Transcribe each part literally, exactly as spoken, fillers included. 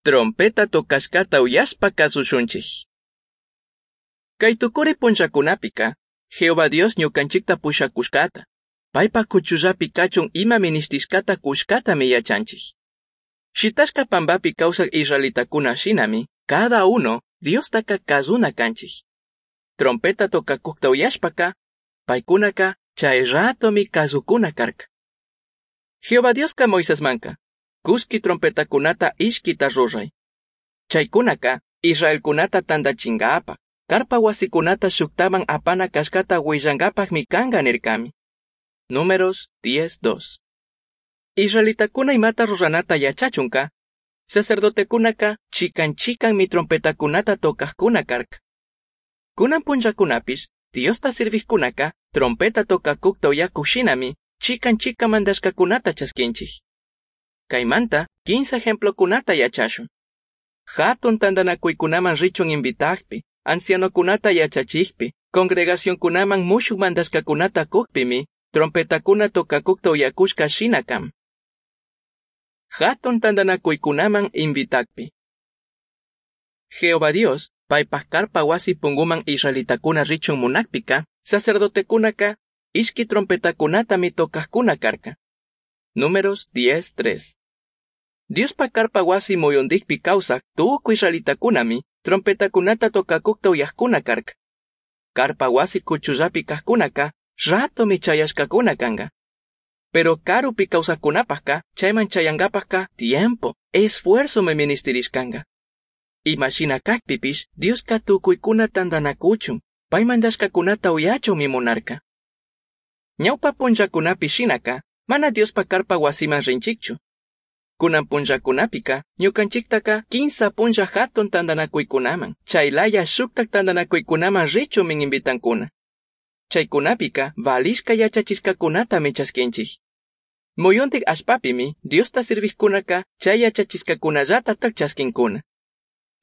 Trompeta tocashcata uyashpa cazushunchij. Cai tucuri punllacunapika, Jehová Dios ñucanchicta pushacushcata, paipa cuchullapi cachun ima minishtishcata cushcatami yachanchij. Shitashca pambapi causaj israelitacuna shinami, cada uno Diostaca cazuna canchij. Trompeta tocacujta uyashpaca, paicunaca chay ratomi cazucuna carca. Jehová Diosca Moisesmanca, cushqui trompetacunata ishquita rurai. Chaicunaca, Israelcunata tandachingapaj, carpa huasicunata shuktaman apana cashcata huillangapajmi canga nircami. Números diez dos. Israelitacuna imata ruranata yachachunca, sacerdotecunaka chican chican mi trompetacunata tocajcuna carca. Kunan punllacunapish, Diosta sirvijcunaka, trompeta tocacujta uyacuj shinami, chican chican mandashcacunata chasquinchij. Caimanta, quince ejemplocunata yachashun. Hatun tandanacuicunaman richun invitajpi, ancianocunata yachachijpi, congregacioncunaman mushuj mandashcacunata cujpimi, trompetacuna tocacujta uyacushca shina kan. Hatun tandanacuicunaman invitajpi. Jehová Dios, paipaj carpa wasi punguman israelitacuna richun munajpika, sacerdotecunaka, ishqui trompetacunatami tocajcuna carca. Números diez tres. Diospa carpa wasi muyundijpi causaj tucui israelitacunami, trompetacunata tocacujta uyajcuna carca. Carpa wasi cuchullapi cajcunaka, ratomi chayashcacuna canga. Pero karupi causajcunapajka, chayman chayangapajka, tiempo, esfuerzomi ministirishcanga. Ima shina cajpipish, Dioska tucuicuna tandanacuchun, pai mandashcacunata uyachunmi munarca. Ñaupa punllacunapi shinaka, mana Diospa carpa wasiman rinchikchu. Kunan punllakunapika, ñukanchiktaka quinsa punlla hatun tandanakuikunaman, chaylaya shuktak tandanakuikunaman richunmi invitankuna. Chaykunapika valishka yachachishkakunatami chaskinchik. Muyuntik allpapimi Diosta sirvijkunaka chay yachachishkakunallatatak chaskinkuna.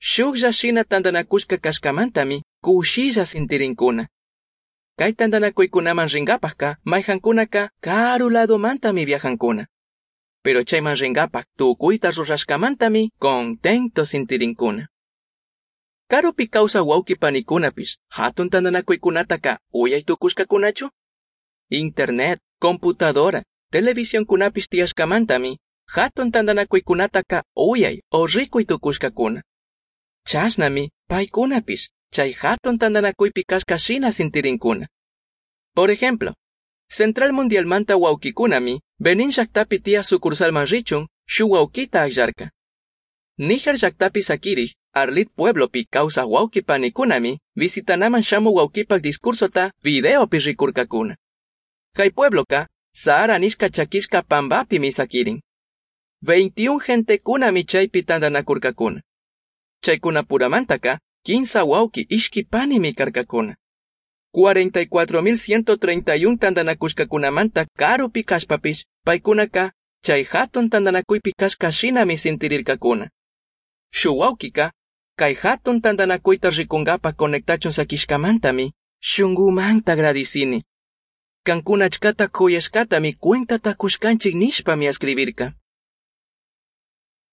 Shuklla shina tandanakushka kashkamantami kushilla sintirinkuna. Kay tandanakuykunaman ringapajka mayjankunaka karu ladomantami viajankuna. Pero chayman ringapaj tukuyta rurashkamantami contento sintirinkuna. Karupi kawsaj wawqi panikunapish hatun tandanakuykunataka uyay tukushkakunachu? Internet, computadora, televisionkunapish tiyashkamantami hatun tandanakuykunataka uyay o rikuy tukushkakuna. Chashnami paykunapish chay hatun tandanakuypi kashka shina sintirinkuna. Por ejemplo, Central Mundialmanta wawqikunami Benin llaktapi tiyaj sucursalman richun shuk wawqita akllarka. Níger llaktapi sakirij Arlit pueblopi kawsaj wawqi panikunami visitanaman shamuj wawqipak discursota videopi rikurkakuna. Kay puebloka Sahara nishka chakishka pampapimi sakirin. veintiún gentekunami chaypi tandanakurkakuna. Chaykunapuramantaka quinsa wawqi ishki panimi karkakuna. cuarenta y cuatro mil ciento treinta y uno tandanakushkakunamanta karupi kashpapish paykunaka chay hatun tandanakuypi kashka shinami sintirirkakuna. Shuk wawqika kay hatun tandanakuyta rikunkapa conectachun sakishkamantami shunkumanta agradicini. Kankuna achkata kuyashkatami cuentata kushkanchik nishpami escribirka.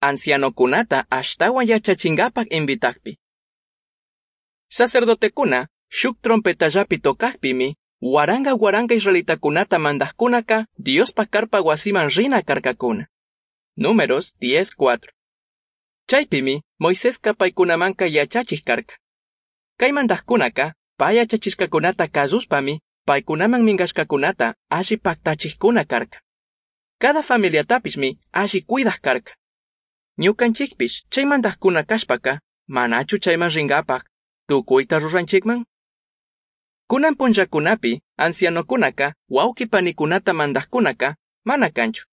Ancianokunata ashtawan yachachinkapak invitakpi. Sacerdotekuna shuk trompetallapi tocajpimi, waranga waranga israelitakunata mandajkunaka Diospa carpa wasiman rina karkakuna. Números diez cuatro. Chaypimi Moiseska paykunamanka yachachij karka. Kay mandajkunaka pay yachachishkakunata kasushpami paykunaman minkashkakunata alli paktachijkuna karka. Cada familiatapishmi alli cuidaj karka. Ñukanchikpish chay mandajkuna kashpaka manachu chayman rinkapak tukuyta ruranchikman? Kunan punllakunapi ancianokunaka wawqi panikunata mandajkunaka mana kanchu.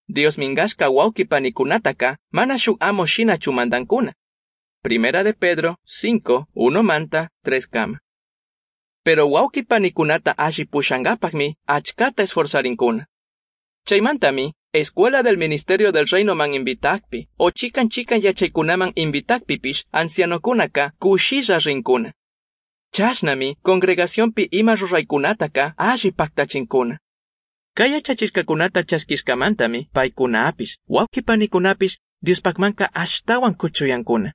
Dios minkashka wawqi panikunataka mana shuk amo shinachu mandankuna. Primera de Pedro cinco, uno manta, tres kama. Pero wawqi panikunata alli pushankapakmi achkata esforzarinkuna. Chaymantami, Escuela del Ministerio del Reino man invitakpi, o chikan chikan yachaykunaman invitakpipish ancianokunaka kushilla rinkuna. Chashnami, congregacionpi ima ruraykunataka alli paktachinkuna. Kay yachachishkakunata chaskishkamantami paykunapish, wawqi panikunapish Diospajmanca ashtahuan cuchuyancuna.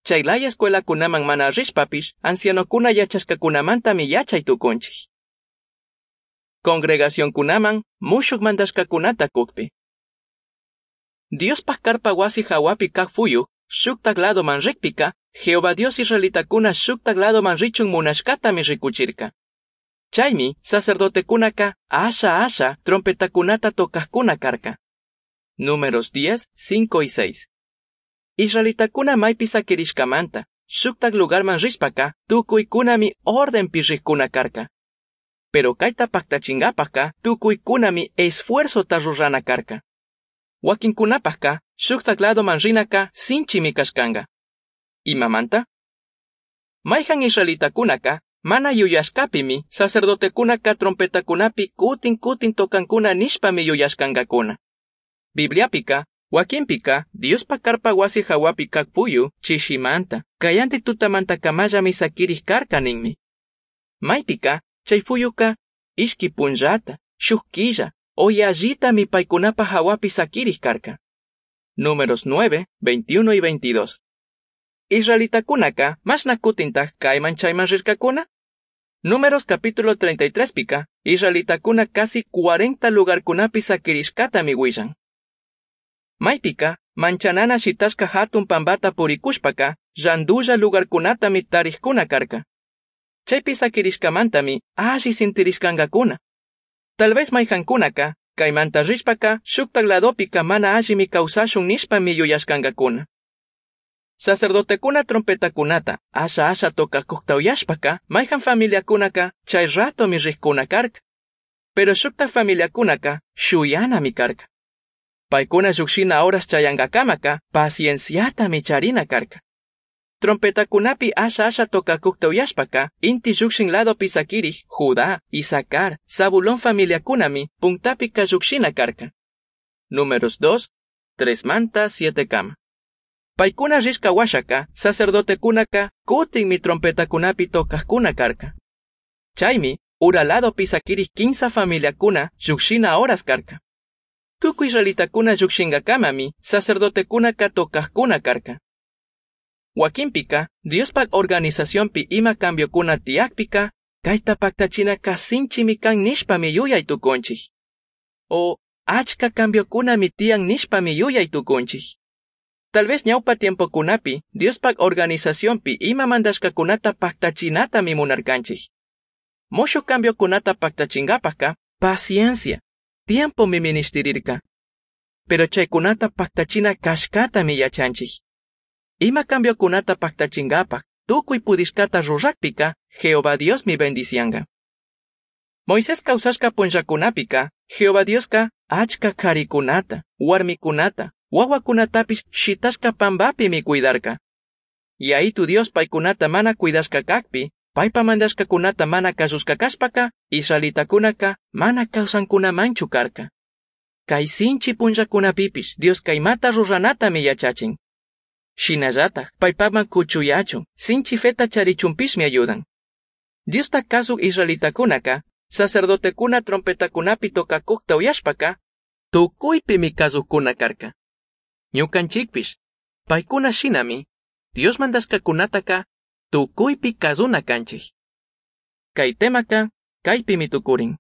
Chai laya escuelacunaman mana rishpapish ancianocuna yachashcacunamantami yachai tucunchij. Congregacioncunaman mushuj mandashcacunata cujpi. Diospaj carpa huasi jahuapi caj fuyu shujtaj ladoman rijpica Jehová Dios israelitacuna shujtaj ladoman richun munashcatami ricuchirca. Chaimi sacerdotecunaca asha asha trompetacunata tocajcuna carca. Números diez, cinco y seis. Israelitacuna maipi saquirishcamanta, shuktak lugarman rishpaca, tucuicunami ordenpi rijcuna carca. Pero caita pactachingapajca, tucuicunami esfuerzota rurana carca. Wakinkunapajka, shuktak ladoman rinaka sinchimi kashkanga. Imamanta? Maijan israelitakunaka, mana yuyashkapimi, sacerdotekunaka trompetakunapi kutin kutin tocankuna nishpami yuyashkankakuna. Bibliapika, wakinpika, Diospa carpa wasi hawapi kak puyu, chishimanta, kayanti tutamanta kamallami sakirij karka ninmi. Maypika, chay fuyuka, ishki punllata, shuk killa, o yallitami paykunapa hawapi sakirij karka. Números nueve, veintiuno y veintidós. Israelitakunaka, mashna kutintaj kayman chayman rirkakuna? Números capítulo treinta y tres pika, israelitakuna casi cuarenta lugarkunapi sakirishkatami willan. Maypika, manchanana shitashka hatun pambata purikushpaka, llandulla lugarkunatami tarijkuna karka. Chaypi sakirishkamantami alli sintirishkankakuna. Tal vez mayjankunaka, kaymanta rishpaka, shuktak ladopika mana allimi kawsashun nishpami yuyashkankakuna. Sacerdotekuna trompetakunata, asha asha tocakukta uyashpaka, mayjan familiakunaka, chay ratomi rijkuna karka. Pero shuktak familiakunaka, shuyanami karka. Paykuna llukshina horas chayankakamaka, pacienciatami charina karka. Trompetakunapi asha asha tocakukta uyashpaka, inti llukshin ladopi sakirij, Judá, Isacar, Zabulón familiakunami, puntapika llukshina karka. Números dos, tres manta siete kama. Paykuna rishka washaka, sacerdotekunaka, kutinmi trompetakunapi tocajkuna karka. Chaymi, ura ladopi sakirij kinsa familiakuna llukshina horas karka. Tukuy israelitakuna llukshinkakamami, sacerdotekunaka tocajkuna karka. Wakinpika, Diospaj organizacionpi ima cambiokuna tiyakpika, kayta paktachinaka sinchimi kan nishpami yuyay tukunchik. O achka cambiokunami tiyan nishpami yuyay tukunchik. Tal vez ñawpa tiempokunapi, Diospaj organizacionpi ima mandashkakunata paktachinatami munarkanchik. Mushuj cambiokunata paktachinkapajka, paciencia, tiempomi ministirirka. Pero chaykunata paktachina kashkatami yachanchik. Ima cambiokunata paktachinkapaj, tukuy pudishkata rurakpika, Jehová Diosmi bendicianga. Moisés kawsashka punllakunapika, Jehová Dioska achka karikunata, warmikunata, wawakunatapish shitashka pambapimi cuidarka. Yayitu Dios paykunata mana cuidashka kakpi, paypa mandashkakunata mana kasushka kashpaka, israelitakunaka mana kawsankunamanchu karka. Kay sinchi punllakunapipish Dioska imata ruranatami yachachin. Shinallataj paypaman kuchuyachun, sinchi feta charichunpishmi ayudan. Diosta kasuk israelitakunaka, sacerdotekuna trompetakunapi tocakukta uyashpaka, tukuypimi kasukkuna karka. Ñukanchikpish, paykuna shinami, Dios mandashkakunataka tukuypi kasuna kanchik. Kay temaka, kaypimi tukurin.